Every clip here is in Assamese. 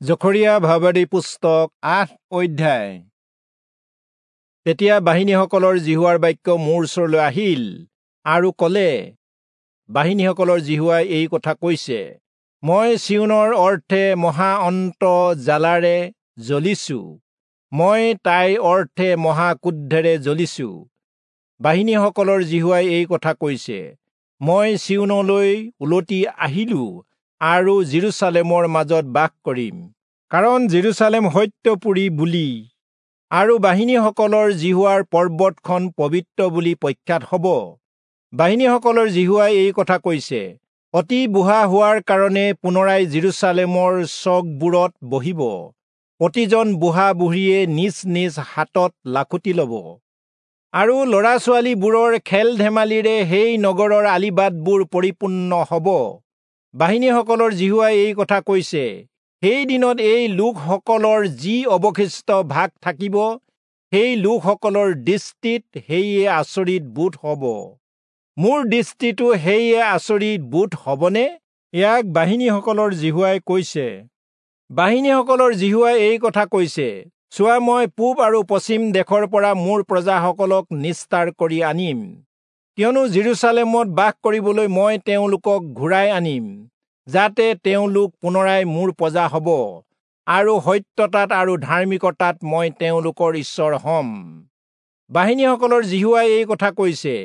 জখৰিয়া ভাববাদী পুস্তক ৮ অধ্যায়। তেতিয়া বাহিনীসকলৰ যিহোৱাৰ বাক্য মোৰ ওচৰলৈ আহিল আৰু ক'লে, বাহিনীসকলৰ যিহোৱাই এই কথা কৈছে, মই চিয়োনৰ অৰ্থে মহা অন্ত জ্বালাৰে জ্বলিছো, মই তাইৰ অৰ্থে মহা ক্ৰোধেৰে জ্বলিছো। বাহিনীসকলৰ যিহোৱাই এই কথা কৈছে, মই চিয়োনলৈ উলটি আহিলো আৰু যিৰূচালেমৰ মাজত বাস কৰিম, কাৰণ যিৰূচালেম সত্যপুৰী বুলি আৰু বাহিনীসকলৰ যিহোৱাৰ পৰ্বতখন পবিত্ৰ বুলি প্ৰখ্যাত হ'ব। বাহিনীসকলৰ যিহোৱাই এই কথা কৈছে, অতি বুঢ়া হোৱাৰ কাৰণে পুনৰাই যিৰূচালেমৰ চকবোৰত বহিব, প্ৰতিজন বুঢ়া বুঢ়ীয়ে নিজ নিজ হাতত লাখুটি ল'ব, আৰু ল'ৰা ছোৱালীবোৰৰ খেল ধেমালিৰে সেই নগৰৰ আলিবাটবোৰ পৰিপূৰ্ণ হ'ব। বাহিনীসকলৰ যিহোৱাই এই কথা কৈছে, সেই দিনত এই লোকসকলৰ যি অৱশিষ্ট ভাগ থাকিব, সেই লোকসকলৰ দৃষ্টিত সেয়ে আচৰিত বোধ হ'ব। মোৰ দৃষ্টিতো সেয়ে আচৰিত বোধ হ'বনে? ইয়াক বাহিনীসকলৰ যিহোৱাই কৈছে। বাহিনীসকলৰ যিহোৱাই এই কথা কৈছে, চোৱা, মই পূব আৰু পশ্চিম দেশৰ পৰা মোৰ প্ৰজাসকলক নিস্তাৰ কৰি আনিম, কিয়নো যিৰূচালেমত বাস কৰিবলৈ মই তেওঁলোকক ঘূৰাই আনিম, যাতে তেওঁলোক পুনৰাই মোৰ প্ৰজা হ'ব, আৰু সত্যতাত আৰু ধাৰ্মিকতাত মই তেওঁলোকৰ ঈশ্বৰ হ'ম। বাহিনীসকলৰ যিহোৱাই এই কথা কৈছে,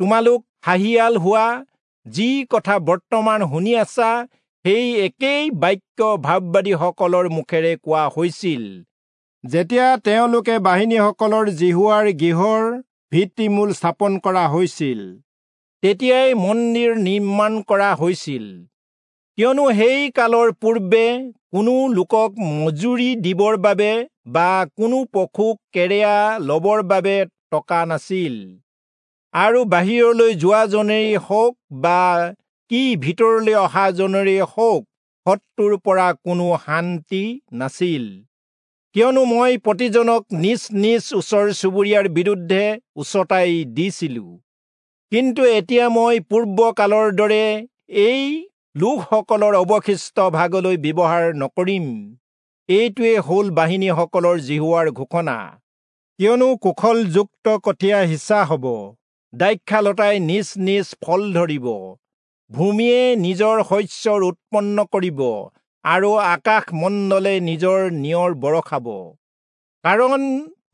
তোমালোক সাহিয়াল হোৱা, যি কথা বৰ্তমান শুনি আছা, সেই একেই বাক্য ভাববাদীসকলৰ মুখেৰে কোৱা হৈছিল, যেতিয়া তেওঁলোকে বাহিনীসকলৰ যিহোৱাৰ গৃহৰ ভিত্তিমূল স্থাপন কৰা হৈছিল, তেতিয়াই মন্দিৰ নিৰ্মাণ কৰা হৈছিল। কিয়নো সেই কালৰ পূৰ্বে কোনো লোকক মজুৰি দিবৰ বাবে বা কোনো পশুক কেৰেয়া ল'বৰ বাবে টকা নাছিল, আৰু বাহিৰলৈ যোৱাজনেই হওক বা কি ভিতৰলৈ অহাজনেই হওক, শত্ৰুৰ পৰা কোনো শান্তি নাছিল। কিয়নো মই প্ৰতিজনক নিজ নিজ ওচৰ চুবুৰীয়াৰ বিৰুদ্ধে উচতাই দিছিলো। কিন্তু এতিয়া মই পূৰ্বকালৰ দৰে এই লোকসকলৰ অৱশিষ্ট ভাগলৈ ব্যৱহাৰ নকৰিম। এইটোৱে হ'ল বাহিনীসকলৰ যিহোৱাৰ ঘোষণা। কিয়নো কুশলযুক্ত কঠীয়া সিঁচা হ'ব, দ্ৰাক্ষালতাই নিজ নিজ ফল ধৰিব, ভূমিয়ে নিজৰ শস্যৰ উৎপন্ন কৰিব, আৰু আকাশমণ্ডলে নিজৰ নিয়ৰ বৰষাব। কাৰণ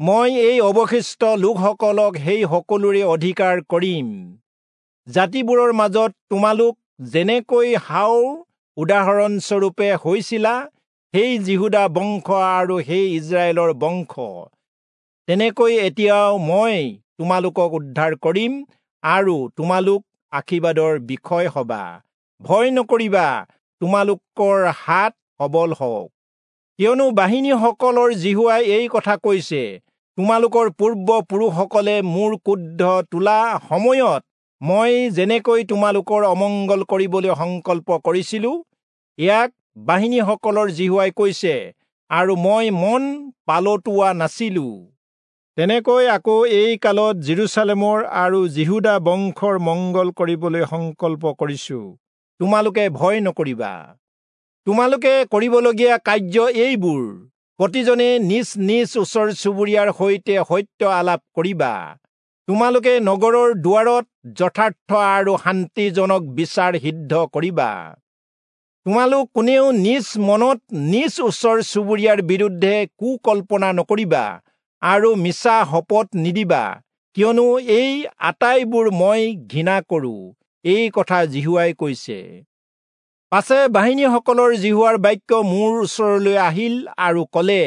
মই এই অৱশিষ্ট লোকসকলক সেই সকলোৰে অধিকাৰ কৰিম। জাতিবোৰৰ মাজত তোমালোক যেনেকৈ হাওৰ উদাহৰণস্বৰূপে হৈছিলা, সেই যিহূদা বংশ আৰু সেই ইস্ৰায়েলৰ বংশ, তেনেকৈ এতিয়াও মই তোমালোকক উদ্ধাৰ কৰিম, আৰু তোমালোক আশীৰ্বাদৰ বিষয় হবা। ভয় নকৰিবা, তোমালোকৰ হাত সবল হওক। কিয়নো বাহিনীসকলৰ যিহোৱাই এই কথা কৈছে, তোমালোকৰ পূৰ্বপুৰুষসকলে মোৰ ক্ৰোধ তোলা সময়ত মই যেনেকৈ তোমালোকৰ অমংগল কৰিবলৈ সংকল্প কৰিছিলো, ইয়াক বাহিনীসকলৰ যিহোৱাই কৈছে, আৰু মই মন পালটোৱা নাছিলো, তেনেকৈ আকৌ এই কালত যিৰূচালেমৰ আৰু যিহূদা বংশৰ মংগল কৰিবলৈ সংকল্প কৰিছো। তোমালোকে ভয় নকৰিবা। তোমালোকে কৰিবলগীয়া কাৰ্য এইবোৰ, প্ৰতিজনে নিজ নিজ ওচৰ চুবুৰীয়াৰ সৈতে সত্য আলাপ কৰিবা। তোমালোকে নগৰৰ দুৱাৰত যথাৰ্থ আৰু শান্তিজনক বিচাৰ সিদ্ধ কৰিবা। তোমালোক কোনেও নিজ মনত নিজ ওচৰ চুবুৰীয়াৰ বিৰুদ্ধে কুকল্পনা নকৰিবা আৰু মিছা শপত নিদিবা, কিয়নো এই আটাইবোৰ মই ঘৃণা কৰো, এই কথা যিহোৱাই কৈছে। পাছে বাহিনীসকলৰ যিহোৱাৰ বাক্য মোৰ ওচৰলৈ আহিল আৰু ক'লে,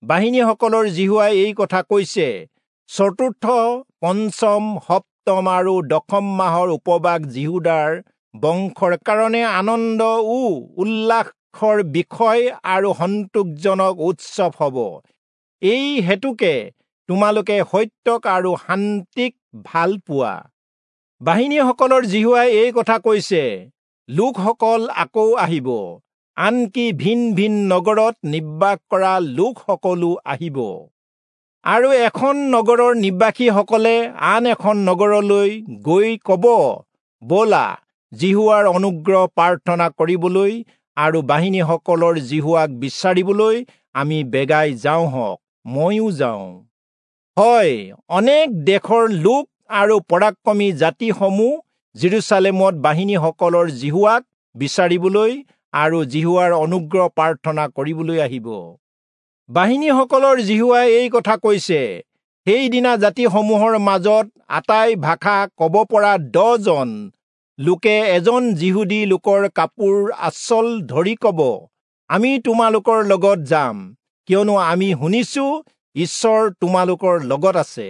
বাহিনীসকলৰ যিহোৱাই এই কথা কৈছে, চতুৰ্থ, পঞ্চম, সপ্তম আৰু দশম মাহৰ উপবাস যিহূদাৰ বংশৰ কাৰণে আনন্দ ও উল্লাসৰ বিষয় আৰু সন্তোষজনক উৎসৱ হ'ব। এই হেতুকে তোমালোকে সত্যক আৰু শান্তিক ভাল পোৱা। বাহিনীসকলৰ যিহোৱাই এই কথা কৈছে, লোকসকল আকৌ আহিব, আনকি ভিন ভিন নগৰত নিবাস কৰা লোকসকলো আহিব, আৰু এখন নগৰৰ নিবাসীসকলে আন এখন নগৰলৈ গৈ ক'ব, ব'লা যিহোৱাৰ অনুগ্ৰহ প্ৰাৰ্থনা কৰিবলৈ আৰু বাহিনীসকলৰ যিহোৱাক বিচাৰিবলৈ আমি বেগাই যাওঁ হওক, ময়ো যাওঁ। হয়, অনেক দেশৰ লোক আৰু পৰাক্ৰমী জাতিসমূহ যিৰূচালেমত বাহিনীসকলৰ যিহোৱাক বিচাৰিবলৈ আৰু যিহোৱাৰ অনুগ্ৰহ প্ৰাৰ্থনা কৰিবলৈ আহিব। বাহিনীসকলৰ যিহোৱাই এই কথা কৈছে, সেইদিনা জাতিসমূহৰ মাজত আটাই ভাষা ক'ব পৰা 10জন লোকে এজন যিহুদী লোকৰ কাপোৰ আঁচল ধৰি ক'ব, আমি তোমালোকৰ লগত যাম, কিয়নো আমি শুনিছো ঈশ্বৰ তোমালোকৰ লগত আছে।